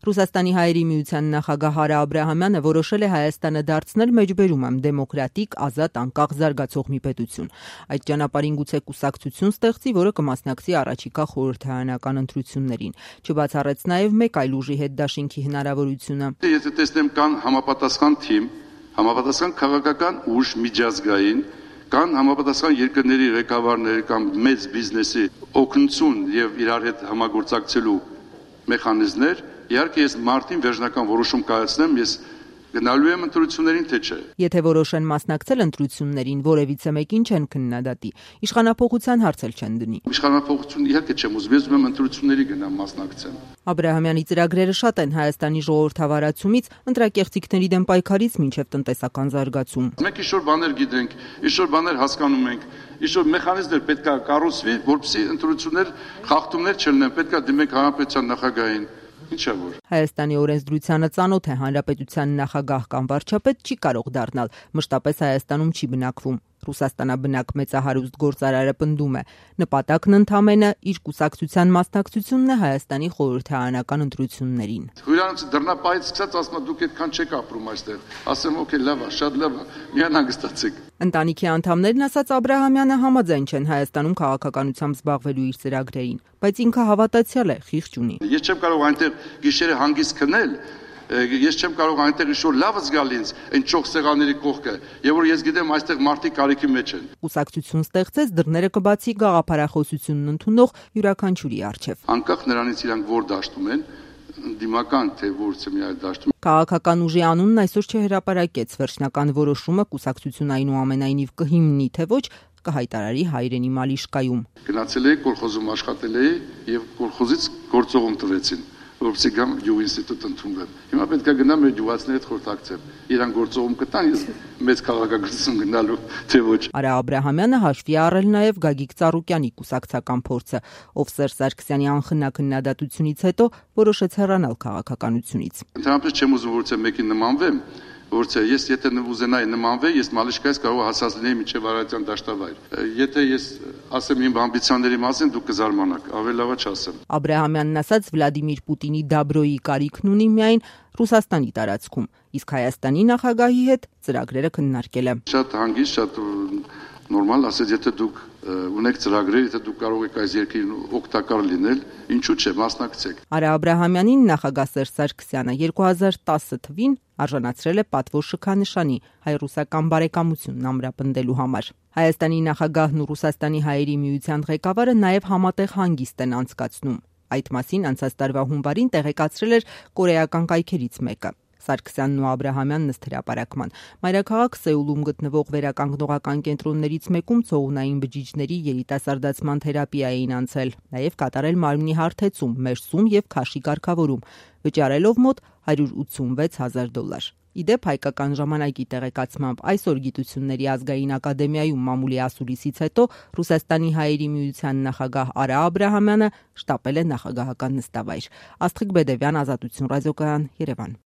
Ռուսաստանի հայերի միության նախագահ Արա Աբրահամյանը որոշել է Հայաստանը դարձնել մեջբերում դեմոկրատիկ, ազատ, անկախ զարգացող մի պետություն։ Այդ ճանապարհին գուցե կուսակցություն ստեղծի, որը կմասնակցի առաջիկա խորհրդարանական ընտրություններին։ Չբացառեց նաև մեկ այլ ուժի հետ դաշինքի հնարավորությունը։ Եթե տեսնեմ կան համապատասխան թիմ, համապատասխան քաղաքական ուժ միջազգային, կան համապատասխան երկրների ղեկավարներ կամ մեծ բիզնեսի օգնություն եւ իրար հետ համագործակցելու մեխանիզմներ, իհարկե ես մարտին վերջնական որոշում կայացնեմ, ես գնալու եմ ընտրություններին, թե չէ։ Եթե որոշեն մասնակցել ընտրություններին, որևիցե մեկին չեն քննադատի, իշխանափոխության հարց էլ չեն դնի։ Իշխանափոխություն իհարկե չեմ ուզում, ես ուզում եմ ընտրությունների գնամ մասնակցեմ։ Աբրահամյանի ծրագրերը շատ են Հայաստանի ժողովրդավարացումից ընտրակեղծիքների դեմ պայքարից մինչև տնտեսական զարգացում։ Մենք ինչ-որ բաներ գիտենք, ինչ-որ բաներ հասկանում ենք, ինչ-որ մեխանիզմներ պետք է կառուցվի, որպեսզի ընտրություններ խախտումներ չլինեն, պետք է դիմենք հանրապետության նախագահին։ Ինչա որ Հայաստանի օրենսդրությանը ծանոթ է հանրապետության նախագահ կամ վարչապետ չի կարող դառնալ, մշտապես Հայաստանում չի բնակվում։ Ռուսաստանաբնակ մեծահարուստ գործարարը պնդում է, նպատակն ընդամենը իր կուսակցության մասնակցությունն է Հայաստանի խորհրդարանական ընտրություններին։ Հյուրանոցի դռնապայից սկսած ասում դուք այդքան չեք ապրում այստեղ։ Ասեմ օքեյ, լավ է, շատ լավ է, միան հանգստացեք։ Ընտանիքի անդամներն, ասաց Աբրահամյանը, համաձայն չեն Հայաստանում քաղաքականությամբ զբաղվելու իր ծրագրերին, բայց ինքը հավատացյալ է, խիղճ ունի։ Ես չեմ կարող այնտեղ գիշերը հանգիստ քնել, ես չեմ կարող այնտեղ ինչ-որ լավը զգալ ինձ այն ճոխ սեղանների կողքը, եւ որ ես գիտեմ այստեղ մարդիկ կարիքի մեջ են։ Կուսակցություն ստեղծեց, դռները կբացի գաղափարախոսությունն ընդունող յուրաքանչյուրի առջև։ Անկախ նրանից իրանք որ դաշտում են, դիմական թե որցը մի այլ դաշտում։ Քաղաքական ուժի անունն այսօր չհրապարակեց, վերջնական որոշումը կուսակցություն այնուամենայնիվ կհիմնի թե ոչ, կհայտարարի հայրենի Մալիշկայում։ Գնացել էի կոլխոզում աշխատել էի եւ կոլխոզից գործողում տվեցին, որպեսզի գամ յուղ ինստիտուտ ընդունվեմ։ Հիմա պետք է գնամ մեր յուղացիների հետ խորհրդակցեմ։ Իրան գործողում կտան, ես մեծ քաղաքականություն գնալու թե ոչ։ Արա Աբրահամյանը հաշվի առել նաև Գագիկ Ծառուկյանի կուսակցական փորձը, ով Սերժ Սարգսյանի անխնա քննադատությունից հետո որոշեց հեռանալ քաղաքականությունից։ Ընդհանրապես չեմ ուզում որցե մեկին նմանվեմ, որցե ես եթե ուզենայի նմանվել, ես Մալիշկայից կարող հասած լինեի մինչև Արարատյան դաշտավայր։ Եթե ես ասեմ իմ ամբիցիաների մասին, դուք կզարմանաք, ավելի լավ է չասեմ։ Աբրահամյանն ասաց Վլադիմիր Պուտինի դաբրոյի կարիքն ունի միայն Ռուսաստանի տարածքում, իսկ Հայաստանի նախագահի հետ ծրագրերը քննարկել է։ Շատ հանգիստ, շատ նորմալ, ասած եթե դուք ունեք ծրագրեր, եթե դուք կարող եք այս երկրին օգտակար լինել, ինչու՞ չէ, մասնակցեք։ Արա Աբրահամյանին նախագահ Սերժ Սարգսյանը 2010 թվականին արժանացրել է պատվո շքանշանի հայ-ռուսական բարեկամությունն ամրապնդելու համար։ Հայաստանի նախագահն ու Ռուսաստանի հայերի միության ղեկավարը նաև համատեղ հանգիստ են անցկացնում։ Այդ մասին անցած տարվա հունվարին տեղեկացրել էր կորեական կայքերից մեկը։ Սարգսյանն ու Աբրահամյանն ըստ հրապարակման մայրաքաղաք Սեուլում գտնվող վերականգնողական կենտրոններից մեկում ցողունային բջիջների երիտասարդացման թերապիա էին անցել, նաև կատարել մարմնի հարթեցում, մերսում եւ քաշի կարգավորում, վճարելով մոտ $186,000։ Իդեպ հայկական ժամանակի տեղեկացմամբ այսօր Գիտությունների ազգային ակադեմիայում մամուլի ասուլիսից հետո Ռուսաստանի հայերի միության նախագահ Արա Աբրահամյանը շտապել է նախագահական նստավայր։ Աստղիկ Բեդևյան, Ազատություն ռադիոկայան, Երևան։